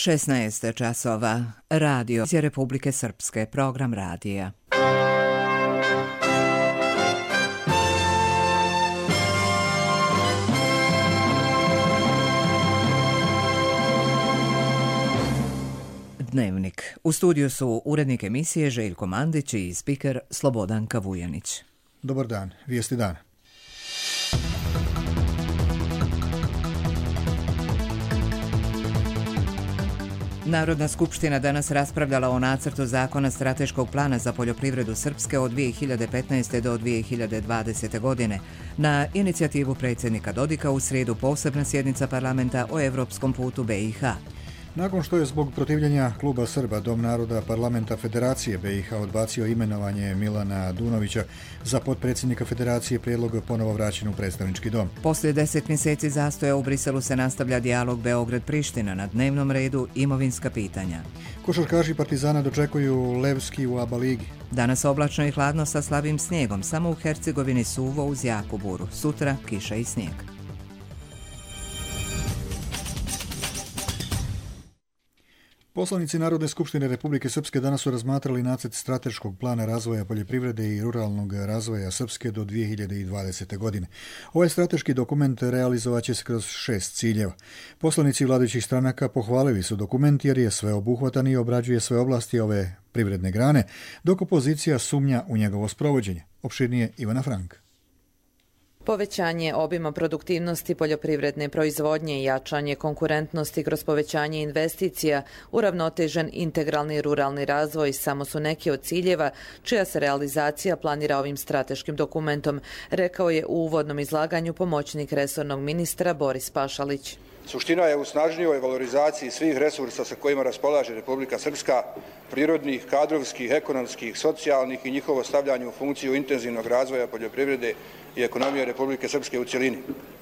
16 časova. Radio iz Republike Srpske, program radija. Dnevnik. U studiju su urednik emisije Željko Mandić i spiker Slobodanka Vujanić. Dobar dan, vijesti dana. Narodna skupština danas raspravljala o nacrtu zakona strateškog plana za poljoprivredu Srpske od 2015. do 2020. godine. Na inicijativu predsjednika Dodika u srijedu posebna sjednica parlamenta o evropskom putu BiH. Nakon što je zbog protivljenja Kluba Srba Dom naroda parlamenta Federacije BiH odbacio imenovanje Milana Dunovića za potpredsjednika Federacije, prijedlog ponovo vraćen u predstavnički dom. Poslije 10 mjeseci zastoja u Briselu se nastavlja dijalog Beograd-Priština, na dnevnom redu imovinska pitanja. Košarkaši Partizana dočekuju Levski u ABA ligi. Danas oblačno i hladno sa slabim snijegom, samo u Hercegovini suvo uz jaku buru. Sutra kiša i snijeg. Poslanici Narodne skupštine Republike Srpske danas su razmatrali nacrt strateškog plana razvoja poljoprivrede i ruralnog razvoja Srpske do 2020. godine. Ovaj strateški dokument realizovat će se kroz 6 ciljeva. Poslanici vladajućih stranaka pohvalili su dokument jer je sveobuhvatan i obrađuje sve oblasti ove privredne grane, dok opozicija sumnja u njegovo sprovođenje. Opširnije Ivana Frank. Povećanje obima produktivnosti poljoprivredne proizvodnje i jačanje konkurentnosti kroz povećanje investicija, uravnotežen integralni ruralni razvoj samo su neki od ciljeva čija se realizacija planira ovim strateškim dokumentom, rekao je u uvodnom izlaganju pomoćnik resornog ministra Boris Pašalić. Suština je u snažnijoj valorizaciji svih resursa sa kojima raspolaže Republika Srpska, prirodnih, kadrovskih, ekonomskih, socijalnih i njihovo stavljanje u funkciju intenzivnog razvoja poljoprivrede i ekonomije Republike Srpske u cjelini.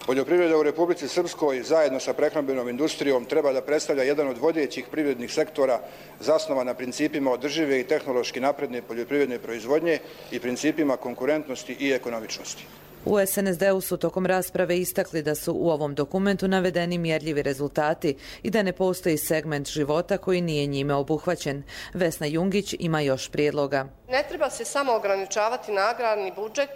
Poljoprivreda u Republici Srpskoj zajedno sa prehrambenom industrijom treba da predstavlja jedan od vodećih privrednih sektora zasnovan na principima održive i tehnološki napredne poljoprivredne proizvodnje i principima konkurentnosti i ekonomičnosti. U SNSD-u su tokom rasprave istakli da su u ovom dokumentu navedeni mjerljivi rezultati i da ne postoji segment života koji nije njime obuhvaćen. Vesna Jungić ima još prijedloga. Ne treba se samo ograničavati na agrarni budžet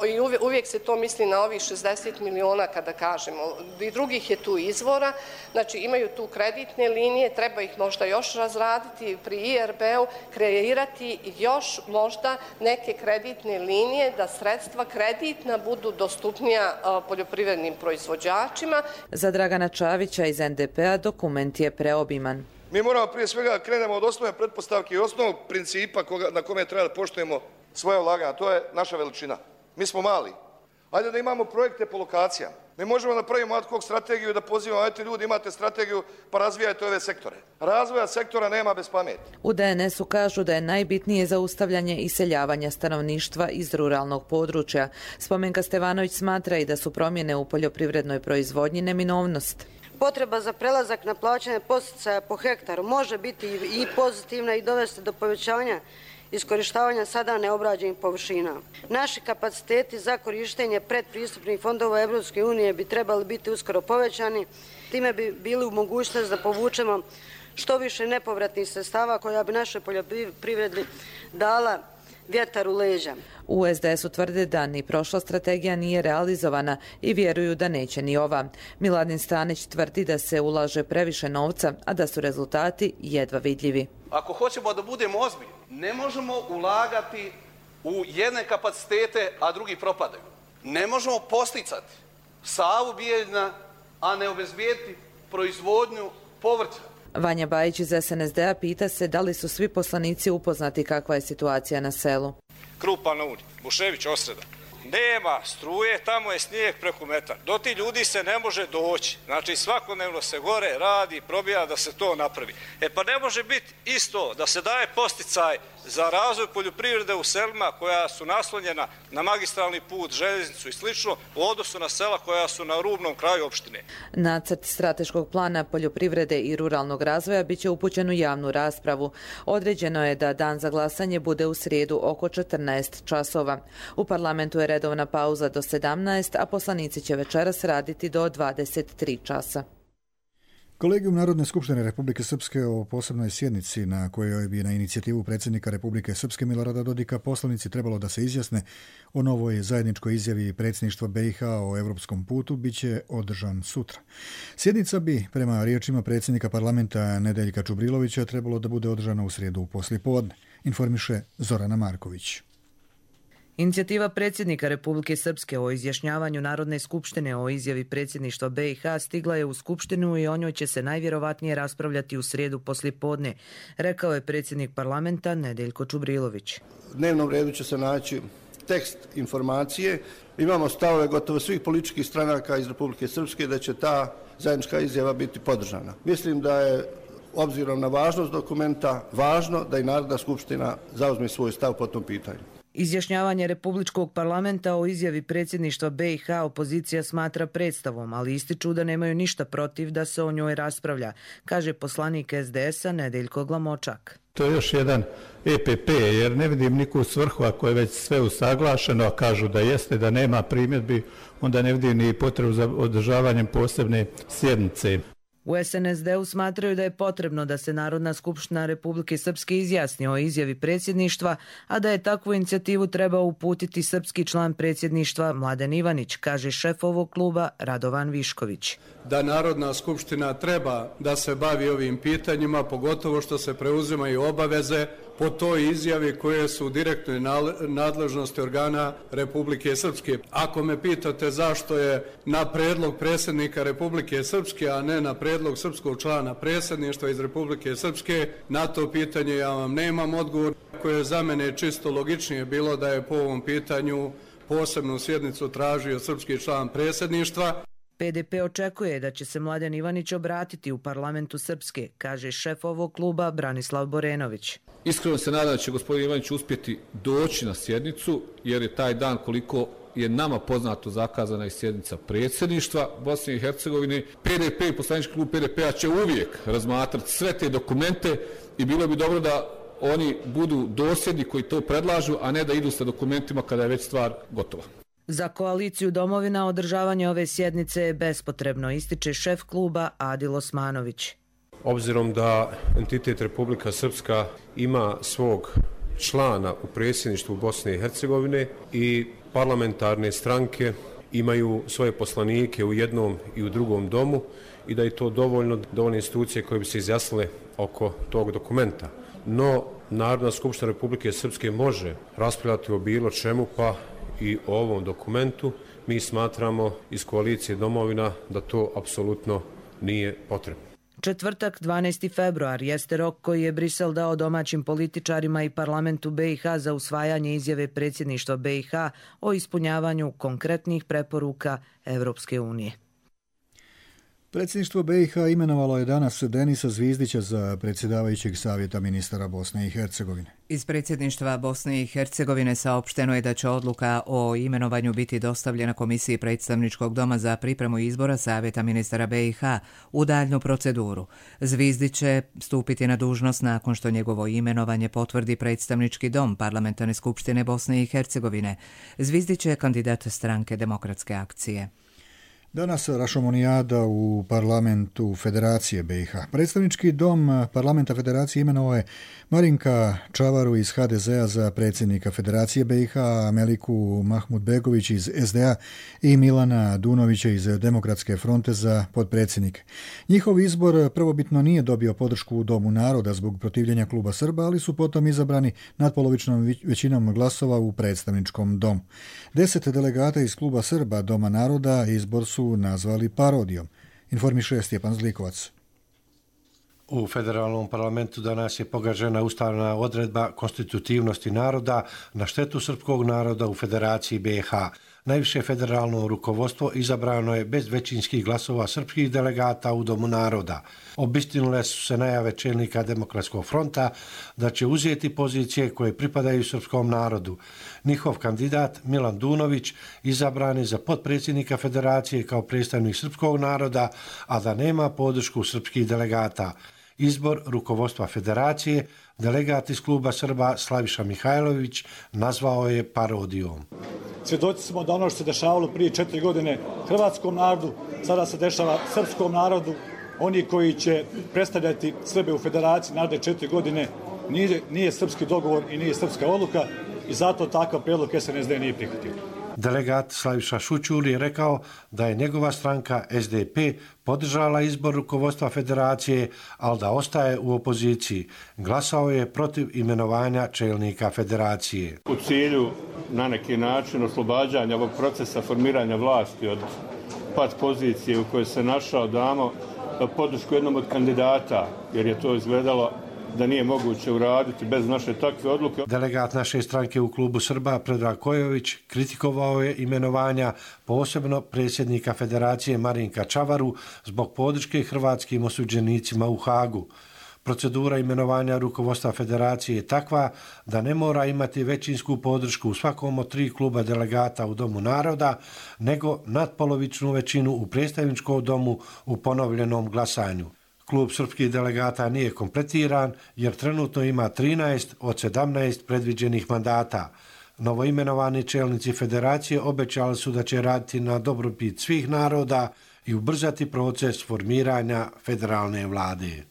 i uvijek se to misli na ovih 60 miliona kada kažemo. I drugih je tu izvora, znači imaju tu kreditne linije, treba ih možda još razraditi pri IRB-u, kreirati još možda neke kreditne linije da sredstva kreditna budu dostupnija poljoprivrednim proizvođačima. Za Dragana Čavića iz NDP-a dokument je preobiman. Mi moramo prije svega krenemo od osnovne pretpostavke i osnovnog principa na kome treba da poštujemo svoje ulaganja. To je naša veličina. Mi smo mali. Ajde da imamo projekte po lokacijama. Ne možemo da pravimo ad hoc strategiju i da pozivamo, ajte ljudi, imate strategiju pa razvijajte ove sektore. Razvoja sektora nema bez pameti. U DNS-u kažu da je najbitnije zaustavljanje iseljavanja stanovništva iz ruralnog područja. Spomenka Stevanović smatra i da su promjene u poljoprivrednoj proizvodnji neminovnost. Potreba za prelazak na plaćanje podsticaja po hektaru može biti i pozitivna i dovesti do povećanja iskorištavanja sada neobrađenih površina. Naši kapaciteti za korištenje predpristupnih fondova Evropske unije bi trebali biti uskoro povećani. Time bi bili u mogućnosti da povučemo što više nepovratnih sredstava koja bi našoj poljoprivredi dala vjetar u leđa. U SDS-u tvrde da ni prošla strategija nije realizovana i vjeruju da neće ni ova. Miladin Stanić tvrdi da se ulaže previše novca, a da su rezultati jedva vidljivi. Ako hoćemo da budemo ozbiljni, ne možemo ulagati u jedne kapacitete, a drugi propadaju. Ne možemo posticati savu Bijeljina, a ne obezbijediti proizvodnju povrća. Vanja Bajić iz SNSD-a pita se da li su svi poslanici upoznati kakva je situacija na selu. Krupa na Uni, Bušević osreda. Nema struje, tamo je snijeg preko metar. Do ti ljudi se ne može doći. Znači svakodnevno se gore radi, probija da se to napravi. Pa ne može biti isto da se daje posticaj za razvoj poljoprivrede u selima koja su naslonjena na magistralni put, željeznicu i slično u odnosu na sela koja su na rubnom kraju opštine. Nacrt strateškog plana poljoprivrede i ruralnog razvoja biće upućen u javnu raspravu. Određeno je da dan za glasanje bude u srijedu oko 14 časova. U parlamentu je redovna pauza do 17, a poslanici će večeras raditi do 23 časa. Kolegijum Narodne skupštine Republike Srpske o posebnoj sjednici na kojoj bi na inicijativu predsjednika Republike Srpske Milorada Dodika poslanici trebalo da se izjasne o novoj zajedničkoj izjavi predsjedništva BiH o europskom putu bit će održan sutra. Sjednica bi, prema riječima predsjednika parlamenta Nedeljka Čubrilovića, trebalo da bude održana u srijedu poslijepodne, informiše Zorana Marković. Inicijativa predsjednika Republike Srpske o izjašnjavanju Narodne skupštine o izjavi predsjedništva BiH stigla je u Skupštinu i o njoj će se najvjerovatnije raspravljati u srijedu poslijepodne, rekao je predsjednik parlamenta Nedeljko Čubrilović. U dnevnom redu će se naći tekst informacije. Imamo stavove gotovo svih političkih stranaka iz Republike Srpske da će ta zajednička izjava biti podržana. Mislim da je, obzirom na važnost dokumenta, važno da i Narodna skupština zauzme svoj stav po tom pitanju. Izjašnjavanje Republičkog parlamenta o izjavi predsjedništva BiH opozicija smatra predstavom, ali ističu da nemaju ništa protiv da se o njoj raspravlja, kaže poslanik SDS-a Nedeljko Glamočak. To je još jedan EPP, jer ne vidim nikakvu svrhu ako je već sve usaglašeno, a kažu da jeste, da nema primjedbi, onda ne vidim ni potrebu za održavanjem posebne sjednice. U SNSD-u smatraju da je potrebno da se Narodna skupština Republike Srpske izjasni o izjavi predsjedništva, a da je takvu inicijativu trebao uputiti srpski član predsjedništva Mladen Ivanić, kaže šef ovog kluba Radovan Višković. Da Narodna skupština treba da se bavi ovim pitanjima, pogotovo što se preuzimaju obaveze po toj izjavi koje su u direktnoj nadležnosti organa Republike Srpske. Ako me pitate zašto je na predlog predsjednika Republike Srpske, a ne na predlog srpskog člana predsjedništva iz Republike Srpske, na to pitanje ja vam nemam odgovor, koje je za mene čisto logičnije bilo da je po ovom pitanju posebnu sjednicu tražio srpski član predsjedništva. PDP očekuje da će se Mladen Ivanić obratiti u parlamentu Srpske, kaže šef ovog kluba Branislav Borenović. Iskreno se nadam da će gospodin Ivanić uspjeti doći na sjednicu, jer je taj dan, koliko je nama poznato, zakazana i sjednica predsjedništva Bosne i Hercegovine. PDP i poslanički klub PDP-a će uvijek razmatrati sve te dokumente i bilo bi dobro da oni budu dosljedni koji to predlažu, a ne da idu sa dokumentima kada je već stvar gotova. Za koaliciju Domovina održavanje ove sjednice je bespotrebno, ističe šef kluba Adil Osmanović. Obzirom da entitet Republika Srpska ima svog člana u predsjedništvu Bosne i Hercegovine i parlamentarne stranke imaju svoje poslanike u jednom i u drugom domu i da je to dovoljne institucije koje bi se izjasnile oko tog dokumenta. No, Narodna skupština Republike Srpske može raspravljati o bilo čemu, pa i o ovom dokumentu. Mi smatramo iz koalicije Domovina da to apsolutno nije potrebno. Četvrtak, 12. februar, jeste rok koji je Brisel dao domaćim političarima i parlamentu BiH za usvajanje izjave predsjedništva BiH o ispunjavanju konkretnih preporuka Evropske unije. Predsjedništvo BiH imenovalo je danas Denisa Zvizdića za predsjedavajućeg savjeta ministara Bosne i Hercegovine. Iz predsjedništva Bosne i Hercegovine saopšteno je da će odluka o imenovanju biti dostavljena Komisiji predstavničkog doma za pripremu izbora savjeta ministara BiH u daljnju proceduru. Zvizdić će stupiti na dužnost nakon što njegovo imenovanje potvrdi predstavnički dom Parlamentarne skupštine Bosne i Hercegovine. Zvizdić je kandidat stranke Demokratske akcije. Danas rašomonijada u parlamentu Federacije BiH. Predstavnički dom parlamenta Federacije imenovao je Marinka Čavaru iz HDZ-a za predsjednika Federacije BiH, Meliku Mahmudbegović iz SDA i Milana Dunovića iz Demokratske fronte za potpredsjednike. Njihov izbor prvobitno nije dobio podršku u Domu naroda zbog protivljenja kluba Srba, ali su potom izabrani natpolovičnom većinom glasova u predstavničkom domu. 10 delegata iz kluba Srba Doma naroda izbor su nazvali parodijom, informiše Stjepan Zlikovac. U federalnom parlamentu danas je pogažena ustavna odredba konstitutivnosti naroda na štetu srpskog naroda u Federaciji BiH. Najviše federalno rukovodstvo izabrano je bez većinskih glasova srpskih delegata u Domu naroda. Obistinile su se najave čelnika Demokratskog fronta da će uzeti pozicije koje pripadaju srpskom narodu. Njihov kandidat Milan Dunović izabran je za potpredsjednika Federacije kao predstavnik srpskog naroda, a da nema podršku srpskih delegata. Izbor rukovodstva Federacije delegat iz kluba Srba Slaviša Mihajlović nazvao je parodijom. Svjedoci smo da ono što se dešavalo prije 4 godine hrvatskom narodu, sada se dešava srpskom narodu oni koji će predstavljati Srbe u federaciji naredne 4 godine nije srpski dogovor i nije srpska odluka i zato takav predlog SNSD nije prihvatio. Delegat Slaviša Šućur je rekao da je njegova stranka SDP podržala izbor rukovodstva federacije, ali da ostaje u opoziciji. Glasao je protiv imenovanja čelnika federacije. U cilju na neki način oslobađanja ovog procesa formiranja vlasti od pat pozicije u kojoj se našao, damo podršku jednom od kandidata, jer je to izgledalo da nije moguće uraditi bez naše takve odluke. Delegat naše stranke u klubu Srba Predrag Kojović kritikovao je imenovanja posebno predsjednika federacije Marinka Čavaru zbog podrške hrvatskim osuđenicima u Hagu. Procedura imenovanja rukovodstva federacije je takva da ne mora imati većinsku podršku u svakom od 3 kluba delegata u Domu naroda, nego natpolovičnu većinu u predstavničkom domu u ponovljenom glasanju. Klub srpskih delegata nije kompletiran jer trenutno ima 13 od 17 predviđenih mandata. Novoimenovani čelnici federacije obećali su da će raditi na dobrobit svih naroda i ubrzati proces formiranja federalne vlade.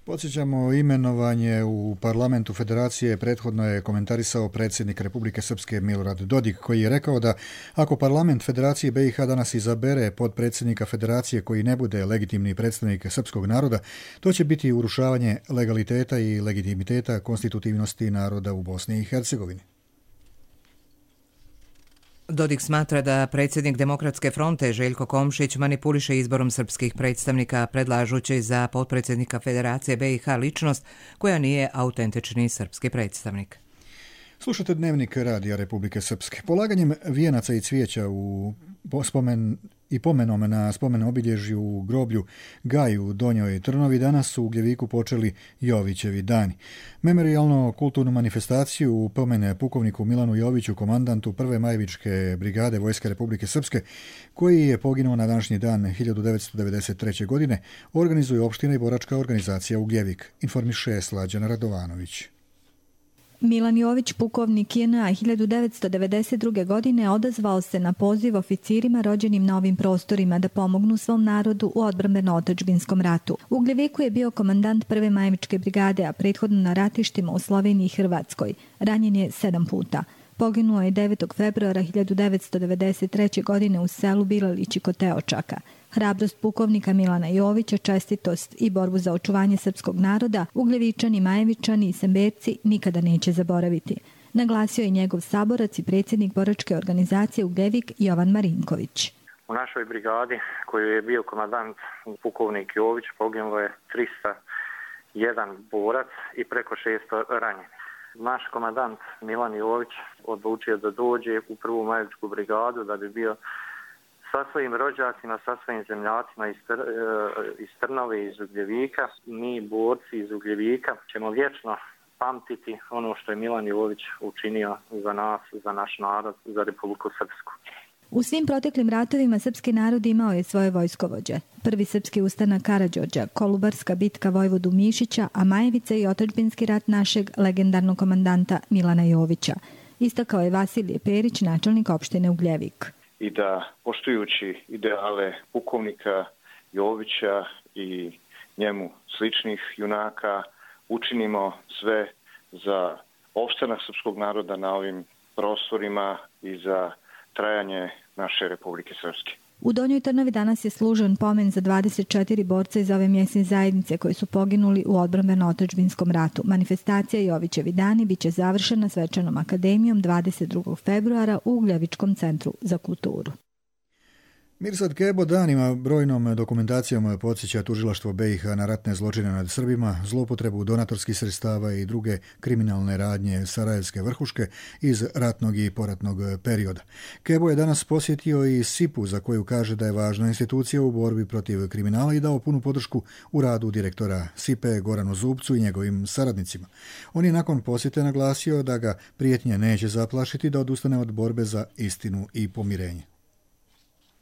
Podsjećamo, imenovanje u parlamentu federacije prethodno je komentarisao predsjednik Republike Srpske Milorad Dodik, koji je rekao da ako parlament Federacije BiH danas izabere potpredsjednika federacije koji ne bude legitimni predstavnik srpskog naroda, to će biti urušavanje legaliteta i legitimiteta konstitutivnosti naroda u Bosni i Hercegovini. Dodik smatra da predsjednik Demokratske fronte Željko Komšić manipuliše izborom srpskih predstavnika, predlažući za potpredsjednika Federacije BiH ličnost koja nije autentični srpski predstavnik. Slušate Dnevnik Radija Republike Srpske. Polaganjem vijenaca i cvijeća pomenom na spomen obilježju u groblju Gaj u Donjoj Trnovi danas su u Ugljeviku počeli Jovićevi dani. Memorijalno-kulturnu manifestaciju u pomen pukovniku Milanu Joviću, komandantu 1. Majevičke brigade Vojske Republike Srpske, koji je poginuo na današnji dan 1993. godine, organizuje opština i boračka organizacija Ugljevik, informiše Slađana Radovanović. Milan Jović, pukovnik JNA 1992. godine, odazvao se na poziv oficirima rođenim na ovim prostorima da pomognu svom narodu u odbrambeno-otadžbinskom ratu. U Ugljeviku je bio komandant 1. Majevičke brigade, a prethodno na ratištima u Sloveniji i Hrvatskoj. Ranjen je 7 puta. Poginuo je 9. februara 1993. godine u selu Bilalići kod Teočaka. Hrabrost pukovnika Milana Jovića, čestitost i borbu za očuvanje srpskog naroda Ugljevičani, Majevičani i Semberci nikada neće zaboraviti. Naglasio je njegov saborac i predsjednik boračke organizacije Ugljevik Jovan Marinković. U našoj brigadi, koju je bio komandant pukovnik Jović, poginulo je 301 borac i preko 600 ranjenih. Naš komandant Milan Jović odlučio da dođe u 1. Majevičku brigadu da bi bio sa svojim rođacima, sa svojim zemljacima iz Trnove, iz Ugljevika. Mi, borci iz Ugljevika, ćemo vječno pamtiti ono što je Milan Jović učinio za nas, za naš narod, za Republiku Srpsku. U svim proteklim ratovima srpski narod imao je svoje vojskovođe. Prvi srpski ustanak Karađorđa, Kolubarska bitka vojvodu Mišića, a Majevica i otadžbinski rat našeg legendarnog komandanta Milana Jovića. Istakao je Vasilije Perić, načelnik opštine Ugljevik. I da, poštujući ideale pukovnika Jovića i njemu sličnih junaka, učinimo sve za opstanak srpskog naroda na ovim prostorima i za trajanje naše Republike Srpske. U Donjoj Trnovi danas je služen pomen za 24 borca iz ove mjesne zajednice koji su poginuli u odbrambeno-otadžbinskom ratu. Manifestacija Jovićevi dani biće završena svečanom akademijom 22. februara u Ugljevičkom centru za kulturu. Mirsad Kebo danima brojnom dokumentacijom podsjeća tužilaštvo BiH na ratne zločine nad Srbima, zloupotrebu donatorskih sredstava i druge kriminalne radnje sarajevske vrhuške iz ratnog i poratnog perioda. Kebo je danas posjetio i SIP-u, za koju kaže da je važna institucija u borbi protiv kriminala i dao punu podršku u radu direktora SIP-e Goranu Zubcu i njegovim saradnicima. On je nakon posjete naglasio da ga prijetnje neće zaplašiti da odustane od borbe za istinu i pomirenje.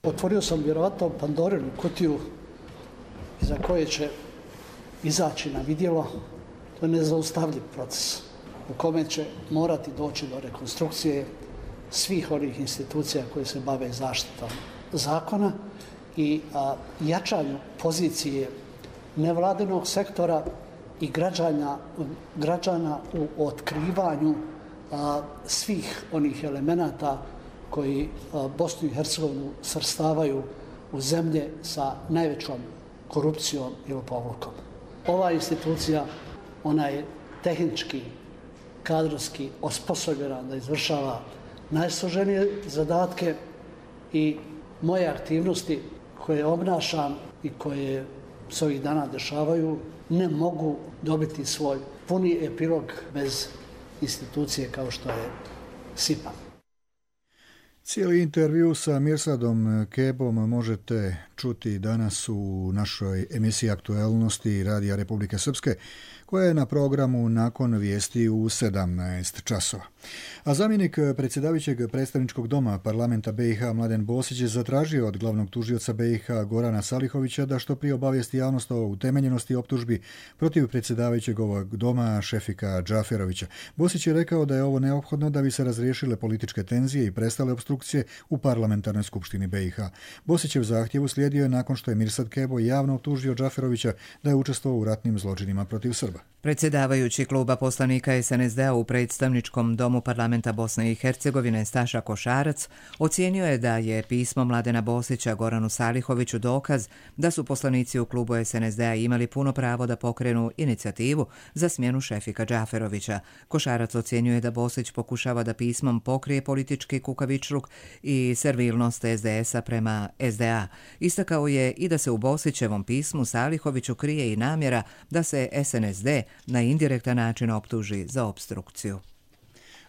Otvorio sam vjerovatno Pandorinu kutiju iza koje će izaći na vidjelo. To je nezaustavljiv proces u kome će morati doći do rekonstrukcije svih onih institucija koje se bave zaštitom zakona i jačanju pozicije nevladinog sektora i građana u otkrivanju svih onih elemenata koji Bosnu i Hercegovinu svrstavaju u zemlje sa najvećom korupcijom i lopovlukom. Ova institucija, ona je tehnički, kadrovski osposobljena da izvršava najsloženije zadatke i moje aktivnosti koje obnašam i koje se ovih dana dešavaju ne mogu dobiti svoj puni epilog bez institucije kao što je SIPA. Cijeli intervju sa Mirsadom Kebom možete čuti danas u našoj emisiji Aktuelnosti Radija Republike Srpske, koja je na programu nakon vijesti u 17 časova. A zamjenik predsjedavajućeg predstavničkog doma parlamenta BiH Mladen Bosić je zatražio od glavnog tužioca BiH Gorana Salihovića da što prije obavijesti javnost o utemeljenosti optužbi protiv predsjedavajućeg ovog doma Šefika Džaferovića. Bosić je rekao da je ovo neophodno da bi se razriješile političke tenzije i prestale opstrukcije u parlamentarnoj skupštini BiH. Bosićev zahtjev uslijedio je nakon što je Mirsad Kebo javno optužio Džaferovića da je učestvovao u ratnim zločinima protiv Srba. Predsjedavajući kluba poslanika SNSD-a u predstavničkom domu parlamenta Bosne i Hercegovine Staša Košarac ocijenio je da je pismo Mladena Bosića Goranu Salihoviću dokaz da su poslanici u klubu SNSD-a imali puno pravo da pokrenu inicijativu za smjenu Šefika Džaferovića. Košarac ocjenjuje da Bosić pokušava da pismom pokrije politički kukavičluk i servilnost SDS-a prema SDA. Istakao je i da se u Bosićevom pismu Salihoviću krije i namjera da se SNSD na indirektan način optuži za opstrukciju.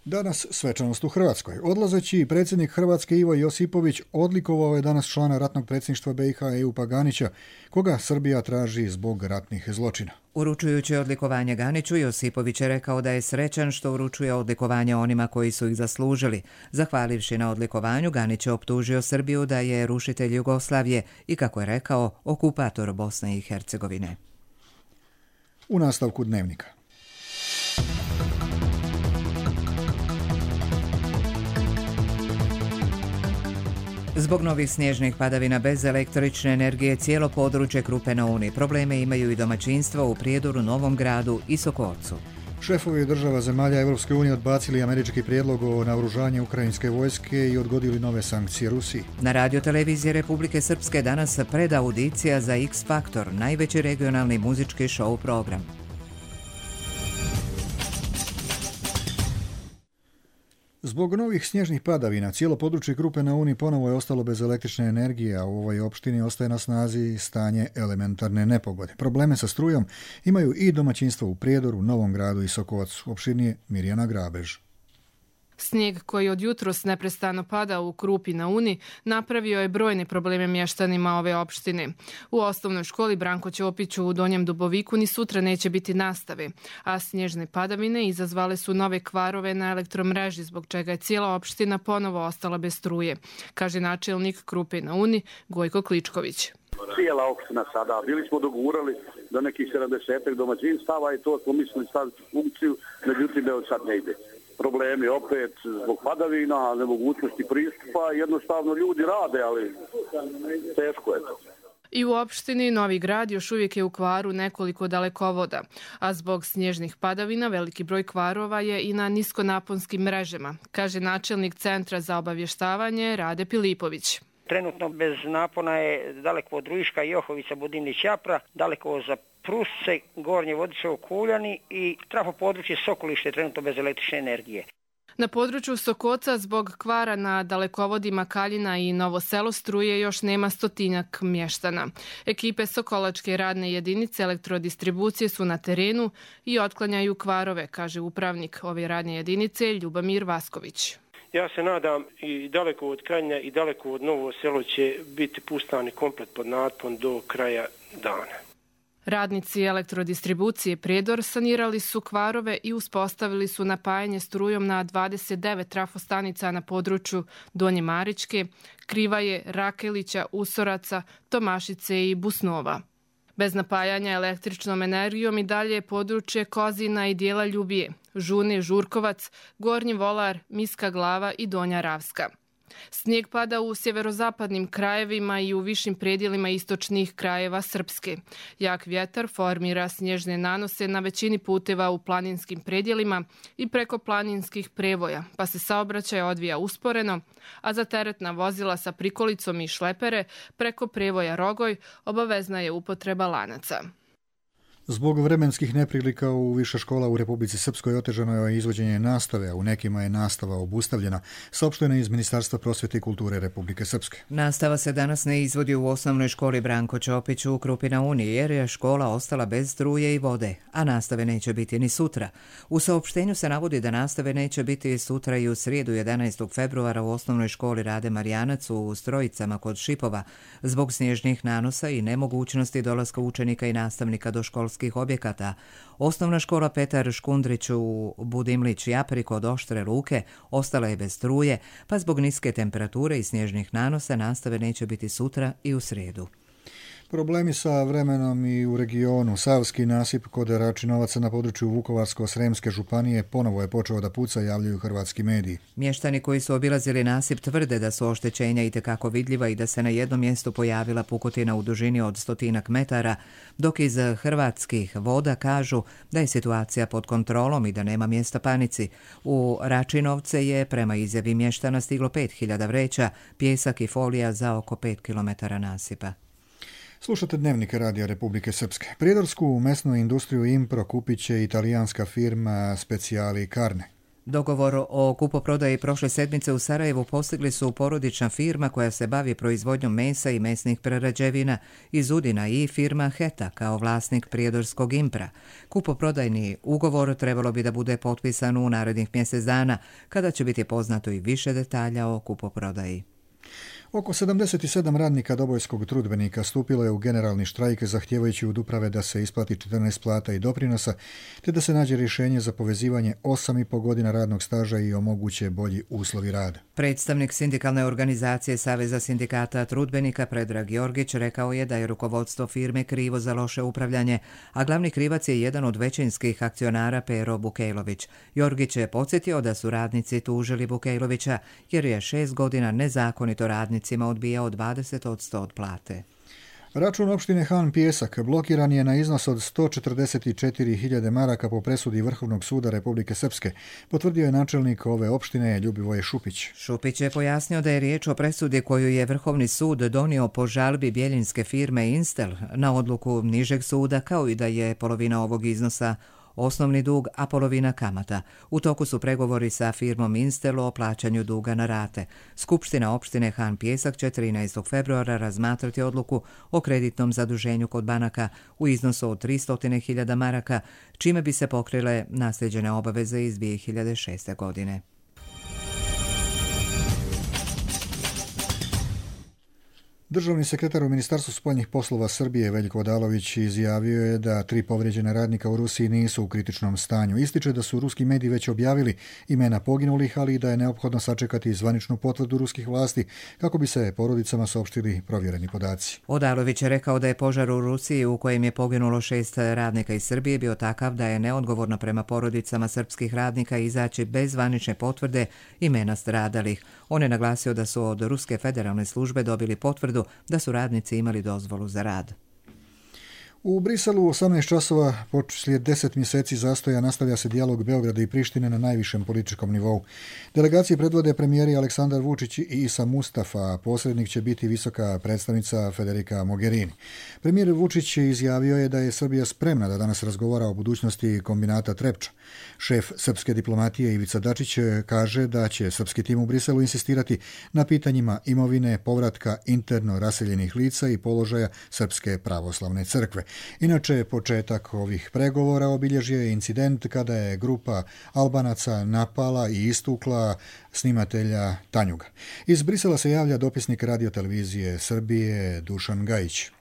Danas svečanost u Hrvatskoj. Odlazeći predsjednik Hrvatske Ivo Josipović odlikovao je danas člana ratnog predsjedništva BiH Ejupa Ganića, koga Srbija traži zbog ratnih zločina. Uručujući odlikovanje Ganiću, Josipović je rekao da je srećan što uručuje odlikovanje onima koji su ih zaslužili. Zahvalivši na odlikovanju, Ganić je optužio Srbiju da je rušitelj Jugoslavije i, kako je rekao, okupator Bosne i Hercegovine. U nastavku dnevnika. Zbog novih snježnih padavina bez električne energije cijelo područje Krupe na Uni. Probleme imaju i domaćinstva u Prijedoru, Novom Gradu i Sokolcu. Šefovi država zemalja Europske unije odbacili američki prijedlog o naoružanju ukrajinske vojske i odgodili nove sankcije Rusiji. Na radioteleviziji Republike Srpske danas predaudicija za X Faktor, najveći regionalni muzički show program. Zbog novih snježnih padavina, cijelo područje Krupe na Uni ponovo je ostalo bez električne energije, a u ovoj opštini ostaje na snazi stanje elementarne nepogode. Probleme sa strujom imaju i domaćinstva u Prijedoru, Novom Gradu i Sokovacu. Opširnije Mirjana Grabež. Snijeg koji od jutros neprestano pada u Krupi na Uni napravio je brojne probleme mještanima ove opštine. U osnovnoj školi Branko Ćopiću u Donjem Duboviku ni sutra neće biti nastave, a snježne padavine izazvale su nove kvarove na elektromreži, zbog čega je cijela opština ponovo ostala bez struje, kaže načelnik Krupe na Uni Gojko Kličković. Cijela opština sada, bili smo dogurali do nekih 70 domaćinstava i to smo mislili staviti u funkciju, međutim evo sad ne ide. Problemi opet zbog padavina, nemogućnosti pristupa, jednostavno ljudi rade, ali teško je to. I u opštini Novi Grad još uvijek je u kvaru nekoliko dalekovoda, a zbog snježnih padavina veliki broj kvarova je i na niskonaponskim mrežama, kaže načelnik Centra za obavještavanje Rade Pilipović. Trenutno bez napona je daleko od Rujiška, Johovica, Budimnić, Japra, daleko za Prusce, Gornje Vodičevo, Kuljani i trafo područje Sokolište trenutno bez električne energije. Na području Sokoca zbog kvara na dalekovodima Kaljina i Novo Selo struje još nema 100-tinjak mještana. Ekipe Sokolačke radne jedinice elektrodistribucije su na terenu i otklanjaju kvarove, kaže upravnik ove radne jedinice Ljubomir Vasković. Ja se nadam i daleko od Kaljina i daleko od Novo Selo će biti pustani komplet pod napon do kraja dana. Radnici elektrodistribucije Prijedor sanirali su kvarove i uspostavili su napajanje strujom na 29 trafostanica na području Donje Maričke, Krivaje, Rakelića, Usoraca, Tomašice i Busnova. Bez napajanja električnom energijom i dalje je područje Kozina i dijela Ljubije, Žune, Žurkovac, Gornji Volar, Miska Glava i Donja Ravska. Snijeg pada u sjeverozapadnim krajevima i u višim predjelima istočnih krajeva Srpske. Jak vjetar formira snježne nanose na većini puteva u planinskim predjelima i preko planinskih prevoja, pa se saobraćaj odvija usporeno, a za teretna vozila sa prikolicom i šlepere preko prevoja Rogoj obavezna je upotreba lanaca. Zbog vremenskih neprilika u više škola u Republici Srpskoj otežano je izvođenje nastave, a u nekima je nastava obustavljena, saopšteno je iz Ministarstva prosvjete i kulture Republike Srpske. Nastava se danas ne izvodi u osnovnoj školi Branko Ćopić u Krupi na Uni, jer je škola ostala bez struje i vode, a nastave neće biti ni sutra. U saopštenju se navodi da nastave neće biti sutra i u srijedu 11. februara u osnovnoj školi Rade Marijanac u Strojicama kod Šipova, zbog snježnih nanosa i nemogućnosti dolaska učenika i nastavnika do školskih objekata. Osnovna škola Petar Škundrić u Budimlić Japri kod Oštre Luke ostala je bez struje, pa zbog niske temperature i snježnih nanosa nastave neće biti sutra i u srijedu. Problemi sa vremenom i u regionu. Savski nasip kod Račinovaca na području Vukovarsko-Sremske županije ponovo je počeo da puca, javljaju hrvatski mediji. Mještani koji su obilazili nasip tvrde da su oštećenja itekako vidljiva i da se na jednom mjestu pojavila pukotina u dužini od 100 metara, dok iz hrvatskih voda kažu da je situacija pod kontrolom i da nema mjesta panici. U Račinovce je prema izjavi mještana stiglo 5000 vreća, pijesak i folija za oko 5 km nasipa. Slušate Dnevnik Radija Republike Srpske. Prijedorsku mesnu industriju Impro kupit će italijanska firma Speciali Carne. Dogovor o kupoprodaji prošle sedmice u Sarajevu postigli su porodična firma koja se bavi proizvodnjom mesa i mesnih prerađevina iz Udina i firma Heta kao vlasnik prijedorskog Impra. Kupoprodajni ugovor trebalo bi da bude potpisan u narednih mjesec dana, kada će biti poznato i više detalja o kupoprodaji. Oko 77 radnika Dobojskog trudbenika stupilo je u generalni štrajk zahtijevajući od uprave da se isplati 14 plata i doprinosa, te da se nađe rješenje za povezivanje 8,5 godina radnog staža i omoguće bolji uslovi rada. Predstavnik sindikalne organizacije Saveza sindikata trudbenika Predrag Jorgić rekao je da je rukovodstvo firme krivo za loše upravljanje, a glavni krivac je jedan od većinskih akcionara Pero Bukejlović. Jorgić je podsjetio da su radnici tužili Bukejlovića jer je 6 godina nezakonito radnicima odbijao 20% od plate. Račun opštine Han Pijesak blokiran je na iznos od 144.000 maraka po presudi Vrhovnog suda Republike Srpske, potvrdio je načelnik ove opštine Ljubivoje Šupić. Šupić je pojasnio da je riječ o presudi koju je Vrhovni sud donio po žalbi bjeljinske firme Instel na odluku nižeg suda, kao i da je polovina ovog iznosa osnovni dug, a polovina kamata. U toku su pregovori sa firmom Instel o plaćanju duga na rate. Skupština opštine Han Pijesak će 13. februara razmatrati odluku o kreditnom zaduženju kod banaka u iznosu od 300.000 maraka, čime bi se pokrile nasljeđene obaveze iz 2006. godine. Državni sekretar u Ministarstvu spoljnih poslova Srbije Veljko Odalović izjavio je da 3 povrijeđena radnika u Rusiji nisu u kritičnom stanju. Ističe da su ruski mediji već objavili imena poginulih, ali i da je neophodno sačekati zvaničnu potvrdu ruskih vlasti kako bi se porodicama saopštili provjereni podaci. Odalović je rekao da je požar u Rusiji u kojem je poginulo 6 radnika iz Srbije bio takav da je neodgovorno prema porodicama srpskih radnika izaći bez zvanične potvrde imena stradalih. On je naglasio da su od Ruske federalne službe dobili potvrdu da su radnici imali dozvolu za rad. U Briselu u 18 časova slijed 10 mjeseci zastoja nastavlja se dijalog Beograda i Prištine na najvišem političkom nivou. Delegacije predvode premijeri Aleksandar Vučić i Isa Mustafa, a posrednik će biti visoka predstavnica Federica Mogherini. Premijer Vučić izjavio je da je Srbija spremna da danas razgovara o budućnosti kombinata Trepča. Šef srpske diplomatije Ivica Dačić kaže da će srpski tim u Briselu insistirati na pitanjima imovine, povratka interno raseljenih lica i položaja Srpske pravoslavne crkve. Inače, početak ovih pregovora obilježio je incident kada je grupa Albanaca napala i istukla snimatelja Tanjuga. Iz Brisela se javlja dopisnik radiotelevizije Srbije Dušan Gajić.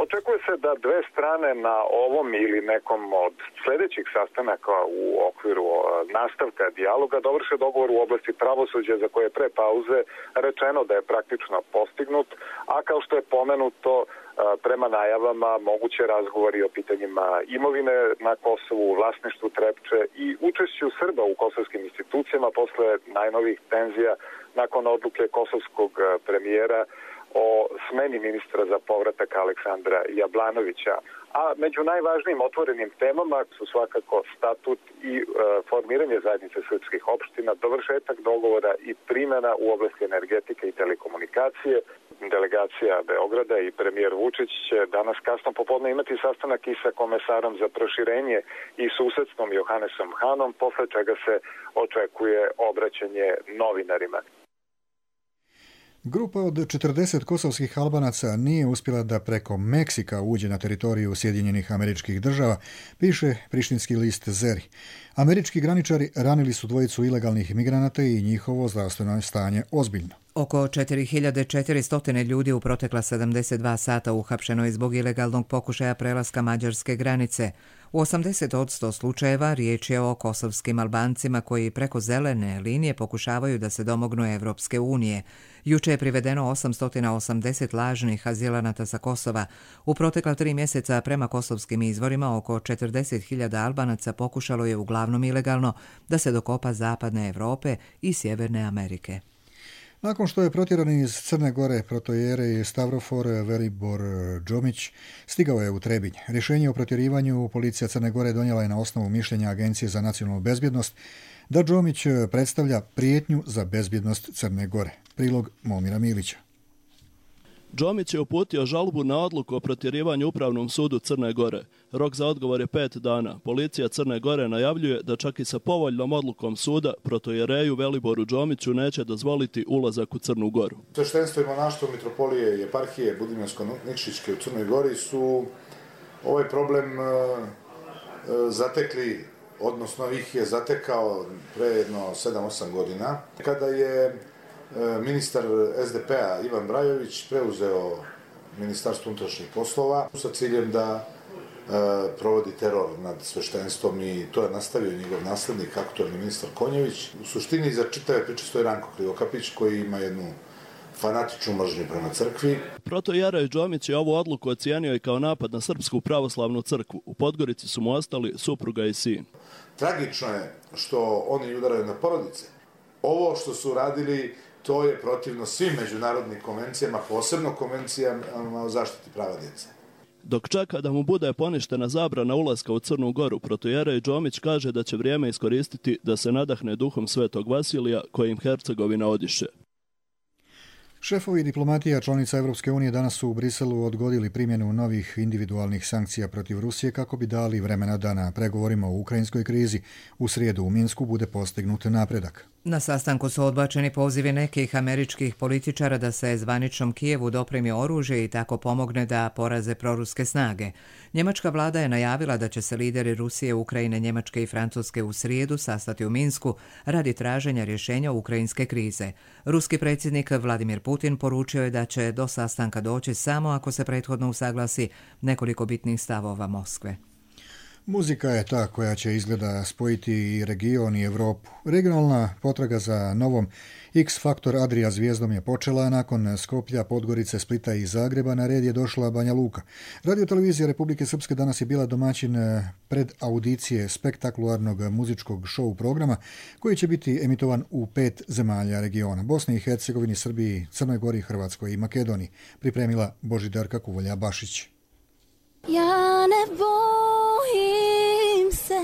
Očekuje se da dve strane na ovom ili nekom od sljedećih sastanaka u okviru nastavka dijaloga dovrše dogovor u oblasti pravosuđa za koje je pre pauze rečeno da je praktično postignut, a kao što je pomenuto prema najavama moguće razgovori o pitanjima imovine na Kosovu, vlasništvu Trepče i učešću Srba u kosovskim institucijama posle najnovih tenzija nakon odluke kosovskog premijera o smeni ministra za povratak Aleksandra Jablanovića. A među najvažnijim otvorenim temama su svakako statut i formiranje zajednice srpskih opština, dovršetak dogovora i primjena u oblasti energetike i telekomunikacije. Delegacija Beograda i premijer Vučić će danas kasno popodne imati sastanak i sa komesarom za proširenje i susedstvom Johannesom Hanom, posle čega se očekuje obraćanje novinarima. Grupa od 40 kosovskih Albanaca nije uspjela da preko Meksika uđe na teritoriju Sjedinjenih Američkih Država, piše prištinski list Zeri. Američki graničari ranili su dvojicu ilegalnih migranata i njihovo zdravstveno stanje ozbiljno. Oko 4400 ljudi u protekla 72 sata uhapšeno je zbog ilegalnog pokušaja prelaska mađarske granice. U 80% slučajeva riječ je o kosovskim Albancima koji preko zelene linije pokušavaju da se domognu Evropske unije. Juče je privedeno 880 lažnih azilanata sa Kosova. U protekla 3 mjeseca prema kosovskim izvorima oko 40.000 Albanaca pokušalo je uglavnom ilegalno da se dokopa zapadne Europe i Sjeverne Amerike. Nakon što je protjeran iz Crne Gore protojere Stavrofor Velibor Džomić, stigao je u Trebinj. Rješenje o protjerivanju policija Crne Gore donijela je na osnovu mišljenja Agencije za nacionalnu bezbjednost da Džomić predstavlja prijetnju za bezbjednost Crne Gore. Prilog Momira Milića. Džomić je uputio žalbu na odluku o protjerivanju Upravnom sudu Crne Gore. Rok za odgovor je 5 dana. Policija Crne Gore najavljuje da čak i sa povoljnom odlukom suda protojereju Veliboru Džomiću neće dozvoliti ulazak u Crnu Goru. Sveštenstvo i monaštvo mitropolije i eparhije Budimljansko-Nikšićke u Crnoj Gori su ovaj problem zatekli, odnosno ih je zatekao pre jedno 7-8 godina, kada je ministar SDP-a Ivan Brajović preuzeo Ministarstvo unutrašnjih poslova sa ciljem da provodi teror nad sveštenstvom i to je nastavio njegov naslednik, aktualni ministar Konjević. U suštini za čitave priče stoji Ranko Krivokapić koji ima jednu fanatičnu mržnju prema crkvi. Protojere Džomić je ovu odluku ocijenio i kao napad na Srpsku pravoslavnu crkvu. U Podgorici su mu ostali supruga i sin. Tragično je što oni udaraju na porodice. Ovo što su radili, to je protivno svim međunarodnim konvencijama, posebno konvencijama o zaštiti prava djece. Dok čeka da mu bude poništena zabrana ulaska u Crnu Goru, protojere Džomić kaže da će vrijeme iskoristiti da se nadahne duhom Svetog Vasilija kojim Hercegovina odiše. Šefovi diplomatija članica Evropske unije danas su u Briselu odgodili primjenu novih individualnih sankcija protiv Rusije kako bi dali vremena da na pregovorima o ukrajinskoj krizi u srijedu u Minsku bude postignut napredak. Na sastanku su odbačeni pozivi nekih američkih političara da se zvaničnom Kijevu dopremi oružje i tako pomogne da poraze proruske snage. Njemačka vlada je najavila da će se lideri Rusije, Ukrajine, Njemačke i Francuske u srijedu sastati u Minsku radi traženja rješenja ukrajinske krize. Ruski predsjednik Vladimir Putin poručio je da će do sastanka doći samo ako se prethodno usaglasi nekoliko bitnih stavova Moskve. Muzika je ta koja će izgleda spojiti i region i Europu. Regionalna potraga za novom X-Faktor Adria zvijezdom je počela, nakon Skoplja, Podgorice, Splita i Zagreba na red je došla Banja Luka. Radio-televizija Republike Srpske danas je bila domaćin pred audicije spektakularnog muzičkog show programa koji će biti emitovan u 5 zemalja regiona: Bosni i Hercegovini, Srbiji, Crnoj Gori, Hrvatskoj i Makedoniji. Pripremila Božidarka Kuvolja-Bašić. Ja ne bojim se.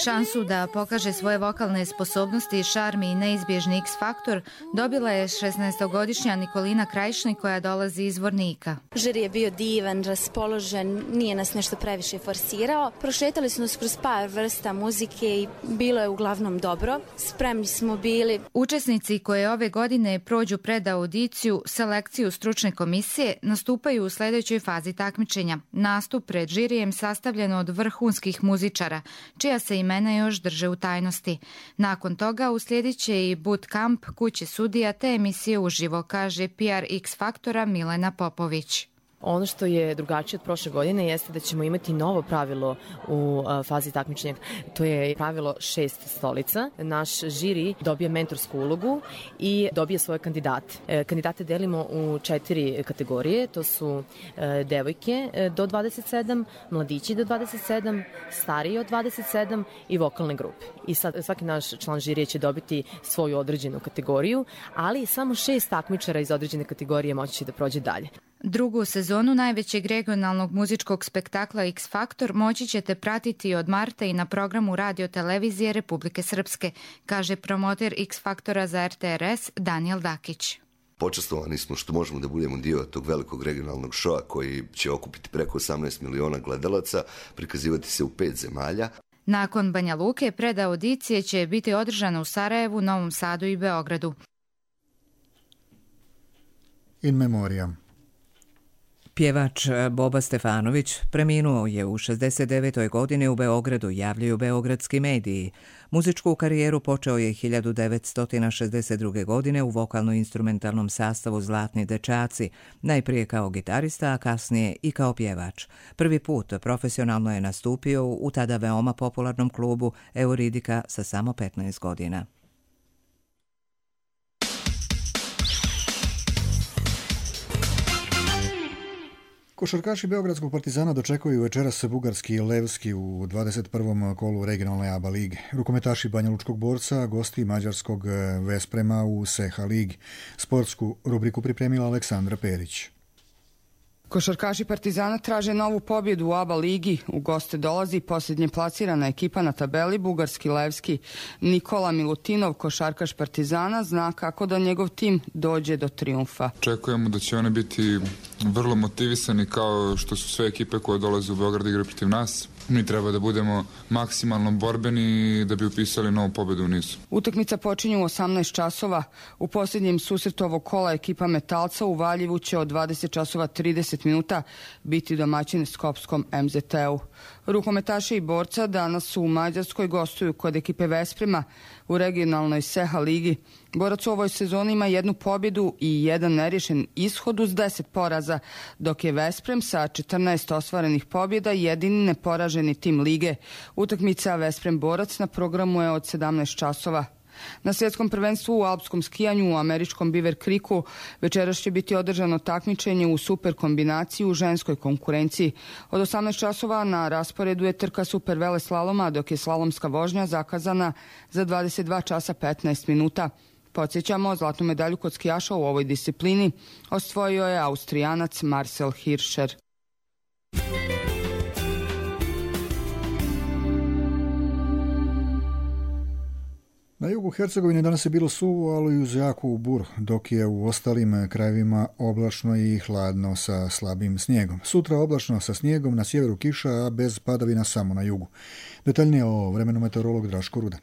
Šansu da pokaže svoje vokalne sposobnosti, šarmi i neizbježni X-faktor dobila je 16-godišnja Nikolina Krajišnik koja dolazi iz Vornika. Žiri je bio divan, raspoložen, nije nas nešto previše forsirao. Prošetali smo nas kroz par vrsta muzike i bilo je uglavnom dobro. Spremni smo bili. Učesnici koje ove godine prođu pred audiciju, selekciju stručne komisije, nastupaju u sljedećoj fazi takmičenja. Nastup pred žirijem sastavljen od vrhunskih muzičara, čija se imena još drže u tajnosti. Nakon toga uslijedit će i bootcamp, kuće sudija te emisije uživo, kaže PR X Faktora Milena Popović. Ono što je drugačije od prošle godine jeste da ćemo imati novo pravilo u fazi takmičenja. To je pravilo 6 stolica. Naš žiri dobije mentorsku ulogu i dobije svoje kandidate. Kandidate delimo u 4 kategorije. To su devojke do 27, mladići do 27, stariji od 27 i vokalne grupe. I sad svaki naš član žirije će dobiti svoju određenu kategoriju, ali samo 6 takmičara iz određene kategorije moći će da prođe dalje. Drugu sezonu najvećeg regionalnog muzičkog spektakla X Faktor moći ćete pratiti od marta i na programu Radio televizije Republike Srpske, kaže promoter X Faktora za RTRS Daniel Dakić. Počastovani smo što možemo da budemo dio tog velikog regionalnog šoa koji će okupiti preko 18 miliona gledalaca, prikazivati se u 5 zemalja. Nakon Banja Luke, predaudicije će biti održana u Sarajevu, Novom Sadu i Beogradu. In memoriam. Pjevač Boba Stefanović preminuo je u 69. godini u Beogradu, javljaju beogradski mediji. Muzičku karijeru počeo je 1962. godine u vokalno-instrumentalnom sastavu Zlatni dečaci, najprije kao gitarista, a kasnije i kao pjevač. Prvi put profesionalno je nastupio u tada veoma popularnom klubu Euridika sa samo 15 godina. Košarkaši Beogradskog Partizana dočekuju večeras bugarski Levski u 21. kolu regionalne ABA lige. Rukometaši Banjalučkog Borca gosti mađarskog Vesprema u Seha ligi. Sportsku rubriku pripremila Aleksandra Perić. Košarkaši Partizana traže novu pobjedu u ABA ligi. U goste dolazi posljednje plasirana ekipa na tabeli, bugarski Levski. Nikola Milutinov, košarkaš Partizana, zna kako da njegov tim dođe do trijumfa. Očekujemo da će oni biti vrlo motivisani kao što su sve ekipe koje dolaze u Beograd igre protiv nas. Mi treba da budemo maksimalno borbeni da bi upisali novu pobjedu u nizu. Utakmica počinje u 18 časova. U posljednjem susretu ovog kola ekipa Metalca u Valjevu će od 20 časova 30 minuta biti domaćin Skopskom MZT-u. Rukometaši i Borca danas su u Mađarskoj, gostuju kod ekipe Vesprema u regionalnoj Seha ligi. Borac u ovoj sezoni ima 1 pobjedu i 1 nerješen ishod uz 10 poraza, dok je Vesprem sa 14 ostvarenih pobjeda jedini neporaženi tim lige. Utakmica Vesprem-Borac na programu je od 17 časova. Na svjetskom prvenstvu u alpskom skijanju u američkom Beaver Creeku večeras će biti održano takmičenje u super kombinaciji u ženskoj konkurenciji. Od 18 časova na rasporedu je trka super vele slaloma, dok je slalomska vožnja zakazana za 22 časa 15 minuta. Podsjećamo, zlatnu medalju kod skijaša u ovoj disciplini osvojio je Austrijanac Marcel Hirscher. Na jugu Hercegovine danas je bilo suvo, ali i uz jaku buru, dok je u ostalim krajevima oblačno i hladno sa slabim snijegom. Sutra oblačno sa snijegom, na sjeveru kiša, a bez padavina samo na jugu. Detaljnije o vremenu meteorolog Draško Rudan.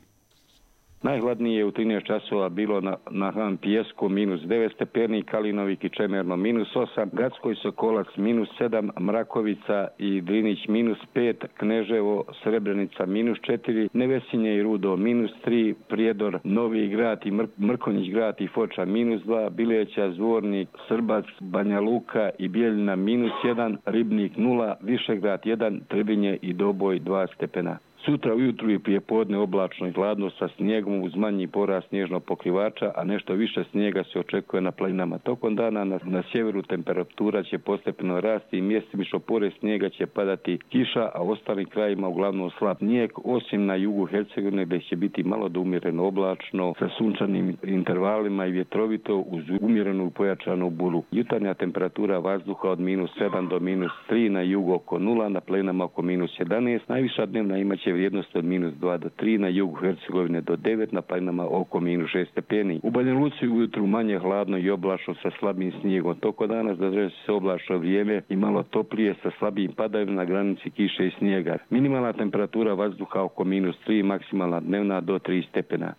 Najhladnije je u 13 časova bilo na Han Pijesku -9 stepeni, Kalinovik i Čemerno -8, Gatskoj Sokolac -7, Mrakovica i Drinić -5, Kneževo, Srebrenica -4, Nevesinje i Rudo -3, Prijedor, Novi Grad i Mrkonjić Grad i Foča -2, Bileća, Zvornik, Srbac, Banja Luka i Bijeljina -1, Ribnik 0, Višegrad 1, Trebinje i Doboj 2 stepena. Sutra ujutru i prije podne oblačno i hladno sa snijegom uz manji porast snježnog pokrivača, a nešto više snijega se očekuje na planinama. Tokom dana na sjeveru temperatura će postepeno rasti i mjestimično pored snijega će padati kiša, a u ostalim krajima uglavnom slab snijeg, osim na jugu Hercegovine gdje će biti malo do umjereno oblačno sa sunčanim intervalima i vjetrovito uz umjerenu pojačanu buru. Jutarnja temperatura vazduha od -7 do -3, na jugu oko 0, na planinama oko -11, najviša dnevna imaće vrijednost od -2 do 3, na jugu Hercegovine do 9, na planinama oko -6 stepeni. U Banja Luci ujutru manje hladno i oblačno sa slabim snijegom. Toko danas zadržat će se oblačno vrijeme i malo toplije sa slabim padavima na granici kiše i snijega. Minimalna temperatura vazduha oko -3, maksimalna dnevna do 3 stepena.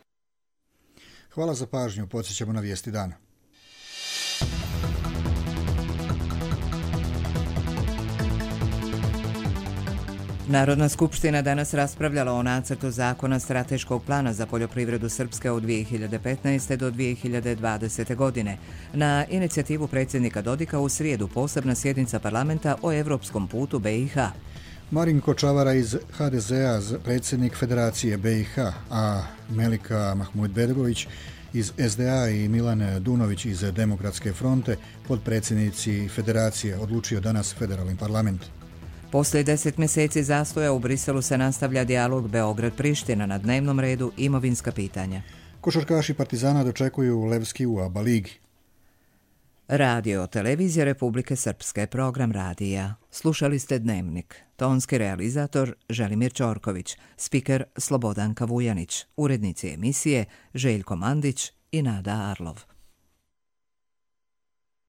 Hvala za pažnju, podsjećamo na vijesti dana. Narodna skupština danas raspravljala o nacrtu zakona strateškog plana za poljoprivredu Srpske od 2015. do 2020. godine. Na inicijativu predsjednika Dodika u srijedu posebna sjednica parlamenta o evropskom putu BiH. Marinko Čavara iz HDZ-a, predsjednik Federacije BiH, a Melika Mahmudbegović iz SDA i Milan Dunović iz Demokratske fronte, podpredsjednici Federacije, odlučio danas federalni parlament. Poslije 10 mjeseci zastoja u Briselu se nastavlja dijalog Beograd-Priština, na dnevnom redu imovinska pitanja. Košarkaši Partizana dočekuju Levski u ABA ligi. Radio Televizija Republike Srpske, program radija. Slušali ste Dnevnik. Tonski realizator Želimir Ćorković, spiker Slobodanka Vujanić, urednici emisije Željko Mandić i Nada Arlov.